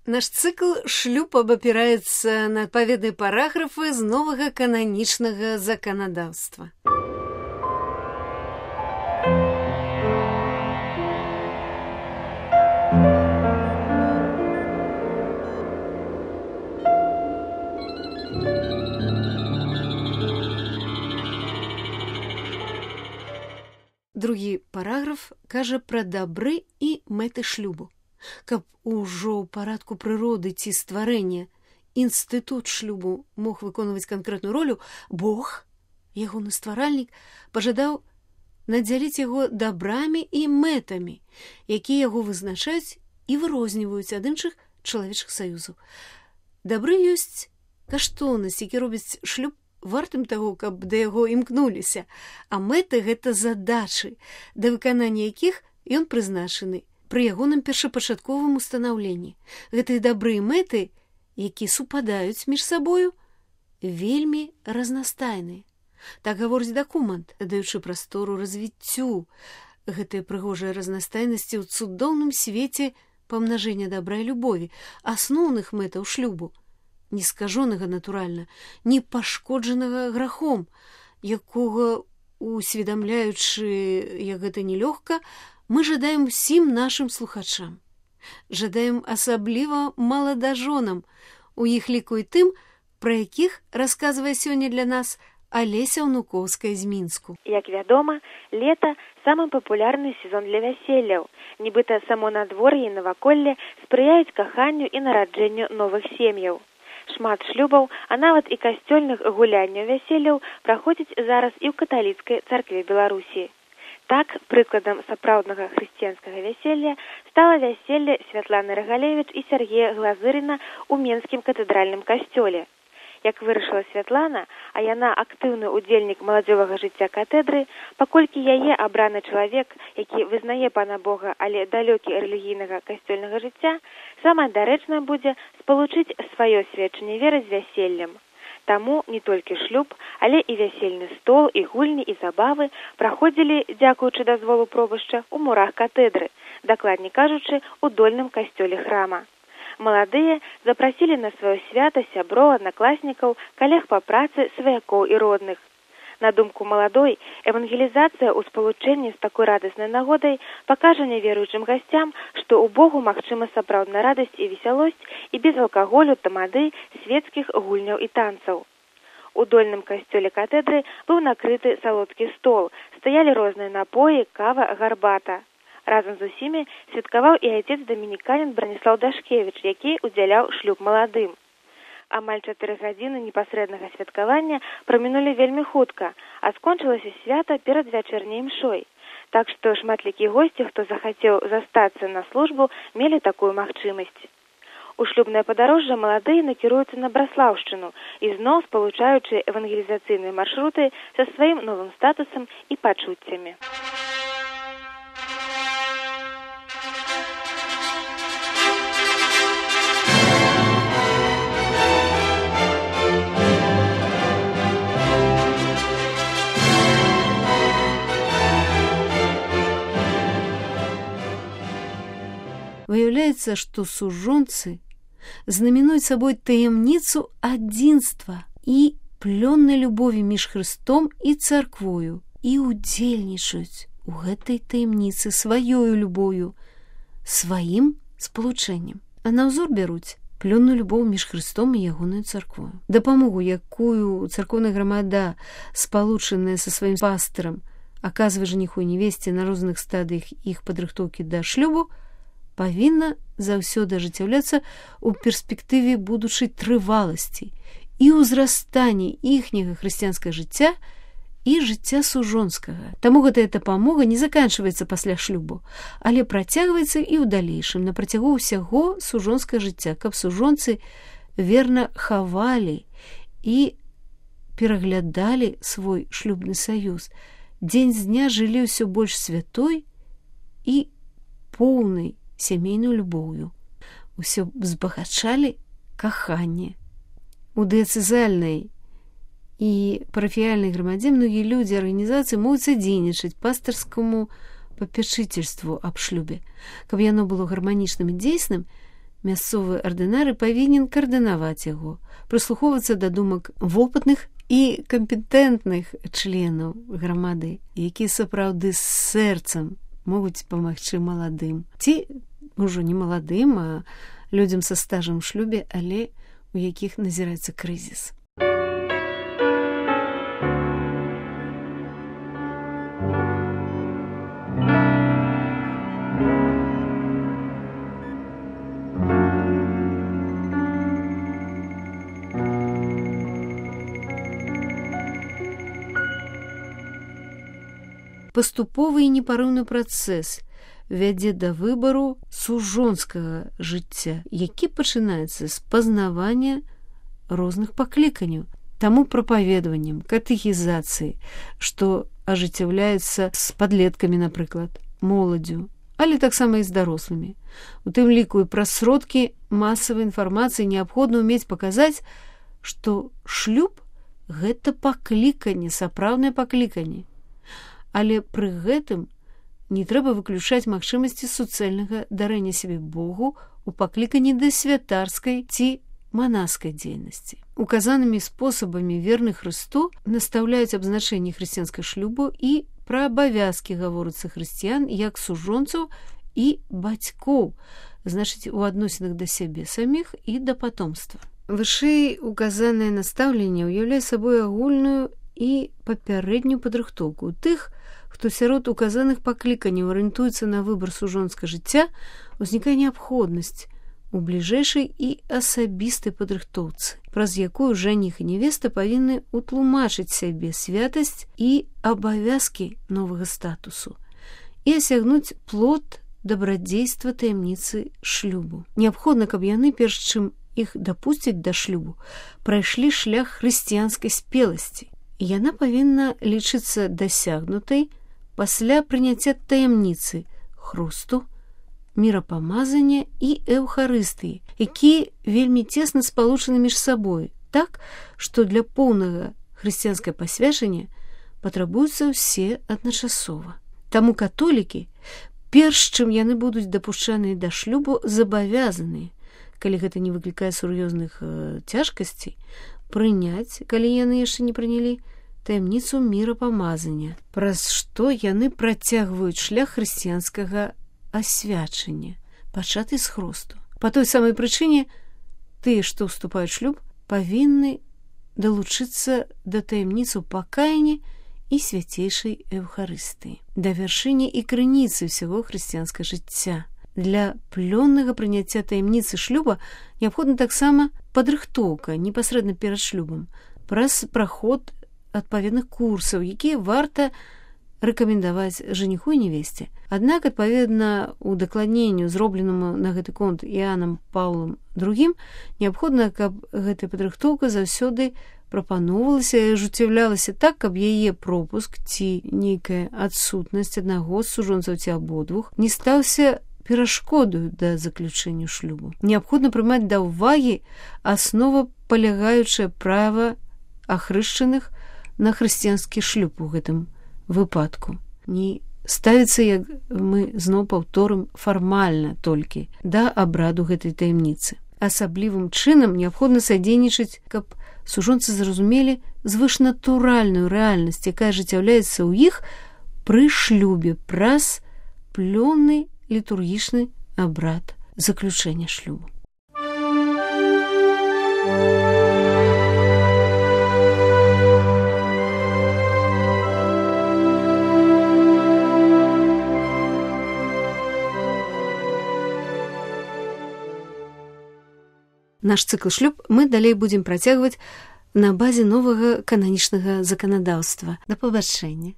Наш цыкл «Шлюб» абапіраецца на адпаведныя параграфы з новага кананічнага заканадаўства. Другі параграф кажа пра дабры і мэты шлюбу. Каб ужо ў парадку прыроды ці стварэння інстытут шлюбу мог выконваць канкрэтную ролю, Бог, ягоны стваральнік, пажадаў надзяліць яго дабрамі і мэтамі, якія яго вызначаюць і вырозніваюць ад іншых чалавечых саюзаў. Дабры ёсць каштоўнасць, які робіць шлюб вартым таго, каб да яго імкнуліся, а мэты — гэта задачы, да выканання якіх ён прызначаны пры ягоным першапачатковым устанаўленні. Гэтыя дабры і мэты, якія супадаюць між сабою, вельмі разнастайныя. Так гаворыць дакумент, даючы прастору развіццю гэтай прыгожай разнастайнасці ў цудоўным свеце памнажэння дабра і любові, асноўных мэтаў шлюбу, не скажонага, натуральна, не пашкоджанага грахом, якога, усведамляючы, як гэта нелёгка, мы жадаем усім нашым слухачам. Жадаем асабліва маладажонам, у іх ліку і тым, пра якіх расказвае сёння для нас Алеся Унукоўская з Мінску. Як вядома, лета – самы папулярны сезон для вяселляў. Нібыта само надвор'е і наваколле спрыяюць каханню і нараджэнню новых сем'яў. Шмат шлюбаў, а нават і касцёльных гулянняў вяселляў праходзіць зараз і ў каталіцкай царкве Беларусі. Так, прыкладам сапраўднага хрысціянскага вяселля стала вяселле Святланы Рагалевіч і Сергея Глазырына ў Менскім катэдральным касцёле. Як вырашыла Святлана, а яна актыўны ўдзельнік маладзёвага жыцця катедры, паколькі яе абраны чалавек, які вызнае Пана Бога, але далёкі рэлігійнага касцёльнага жыцця, самае дарэчнае будзе спалучыць сваё сведчанне веры з вяселлем. Таму не толькі шлюб, але і вясельны стол, і гульні, і забавы праходзілі, дзякуючы дазволу пробышча, у мурах катедры, дакладней кажучы, у дольным касцёле храма. Маладыя запрасілі на сваё свята сяброў, аднакласнікаў, калег па працы, сваякоў і родных. На думку маладой, евангелізацыя ў спалучэнні з такой радаснай нагодай пакажа няверуючым гасцям, што ў Богу магчыма сапраўдная радасць і весялосць і без алкаголю, тамады, свецкіх гульняў і танцаў. У дольным касцёле катедры быў накрыты салодкі стол, стаялі розныя напоі, кава, гарбата. Разам з усімі святкаваў і айцец дамініканін Браніслаў Дашкевіч, які ўдзяляў шлюб маладым. Амаль 4 гадзіны непасрэднага святкавання прамінулі вельмі хутка, а скончылася свята перад вячэрняй імшой. Так што шматлікія госці, хто захацеў застацца на службу, мелі такую магчымасць. У шлюбнае падарожжа маладыя накіруюцца на Браслаўшчыну, ізноў спалучаючы евангелізацыйныя маршруты са сваім новым статусам і пачуццямі. Выяўляецца, што сужонцы знаменуюць сабой таямніцу адзінства і плённай любові між Хрыстом і царквою і ўдзельнічаюць у гэтай таямніцы сваёю любоўю, сваім спалучэннем. А на ўзор бяруць плённую любоў між Хрыстом і ягонаю царквою. Дапамогу, якую царкоўная грамада, спалучаная са сваім пастырам, аказвае жаніху і невесце на розных стадыях іх падрыхтоўкі да шлюбу, павінна заўсёды ажыццяўляцца ў перспектыве будучай трываласці і ўзрастання іхняга хрысціянскага жыцця і жыцця сужонскага. Таму гэтая дапамога не заканчваецца пасля шлюбу, але працягваецца і ў далейшым на працягу ўсяго сужонскага жыцця, каб сужонцы верна хавалі і пераглядалі свой шлюбны саюз, дзень з дня жылі ўсё больш святой і поўнай сямейную любоўю. Усё збагачалі каханне. У дыяцэзальнай і парафіяльнай грамадзе многія людзі арганізацыі могуць садзейнічаць пастырскаму папячыцельству аб шлюбе. Каб яно было гарманічным і дзейсным, Мясцовы ардынары павінен каардынаваць яго, прыслухоўвацца да думак вопытных і кампетэнтных членаў грамады, якія сапраўды з сэрцам могуць памагчы маладым. Ці ўжо не маладым, а людзям са стажам у шлюбе, але у якіх назіраецца крызіс. Паступовы і непарыўны працэс вядзе да выбару сужонскага жыцця, які пачынаецца з пазнавання розных пакліканняў, таму прапаведаваннем, катэхізацыі, што ажыццяўляецца з падлеткамі, напрыклад, моладдзю, але таксама і з дарослымі. У тым ліку і праз сродкі масавай інфармацыі неабходна ўмець паказаць, што шлюб – гэта пакліканне, сапраўднае пакліканне. Але пры гэтым не трэба выключаць магчымасці суцэльнага дарэння сябе Богу у пакліканні да святарскай ці манаскай дзейнасці. Указанымі спосабамі верны Хрысту настаўляюць абзначэнні хрысціянскага шлюбу і пра абавязкі гаворыцца хрысціян як сужонцаў і бацькоў, значыць, у адносінах да сябе саміх і да патомства. Вышэй указанае настаўленне ўяўляе сабой агульную і папярэднюю падрыхтоўку тых, хто сярод указаных пакліканняў арыентуецца на выбар сужонскага жыцця, узнікае неабходнасць у бліжэйшай і асабістай падрыхтоўцы, праз якую жаніх і невеста павінны утлумачыць сябе святасць і абавязкі новага статусу і асягнуць плод дабрадзейства таямніцы шлюбу. Неабходна, каб яны, перш чым іх дапусцяць да шлюбу, прайшлі шлях хрысціянскай спеласці. І яна павінна лічыцца дасягнутай пасля прыняцця таямніцы хрусту, мірапамазання і эўхарыстыі, якія вельмі цесна спалучаны між сабой, так, што для поўнага хрысціянскае пасвячання патрабуюцца ўсе адначасова. Таму католікі, перш чым яны будуць дапушчаныя да шлюбу, забавязаныя, калі гэта не выклікае сур'ёзных цяжкасцей, прыняць, калі яны яшчэ не прынялі, таямніцу мірапамазання, праз што яны працягваюць шлях хрысціянскага асвячання, пачаты з хрусту. Па той самай прычыне тыя, што ўступаюць шлюб, павінны далучыцца да таямніцу пакаяння і свяцейшай эўхарыстыі, да вяршыні і крыніцы ўсяго хрысціянскага жыцця. Для плённага прыняцця таямніцы шлюба неабходна таксама падрыхтоўка непасрэдна перад шлюбам праз праход адпаведных курсаў, якія варта рэкамендаваць жаніху і невесце. Аднак, адпаведна удакладненню, зробленаму на гэты конт Іанам Паўлам II, неабходна, каб гэтая падрыхтоўка заўсёды прапаноўвалася і ажыццяўлялася так, каб яе пропуск ці нейкая адсутнасць аднаго з сужонцаў ці абодвух не стаўся перашкодаю да заключэння шлюбу. Неабходна прымаць да ўвагі аснова палягаючае права ахрышчаных на хрысціянскі шлюб у гэтым выпадку. Не ставіцца, як мы зноў паўторым, фармальна толькі да абраду гэтай таямніцы. Асаблівым чынам неабходна садзейнічаць, каб сужонцы зразумелі звышнатуральную рэальнасць, якая ажыццяўляецца ў іх пры шлюбе праз плённы літургічны абрад заключэння шлюбу. Наш цыкл шлюб мы далей будзем працягваць на базе новага кананічнага заканадаўства. Да пабачэння.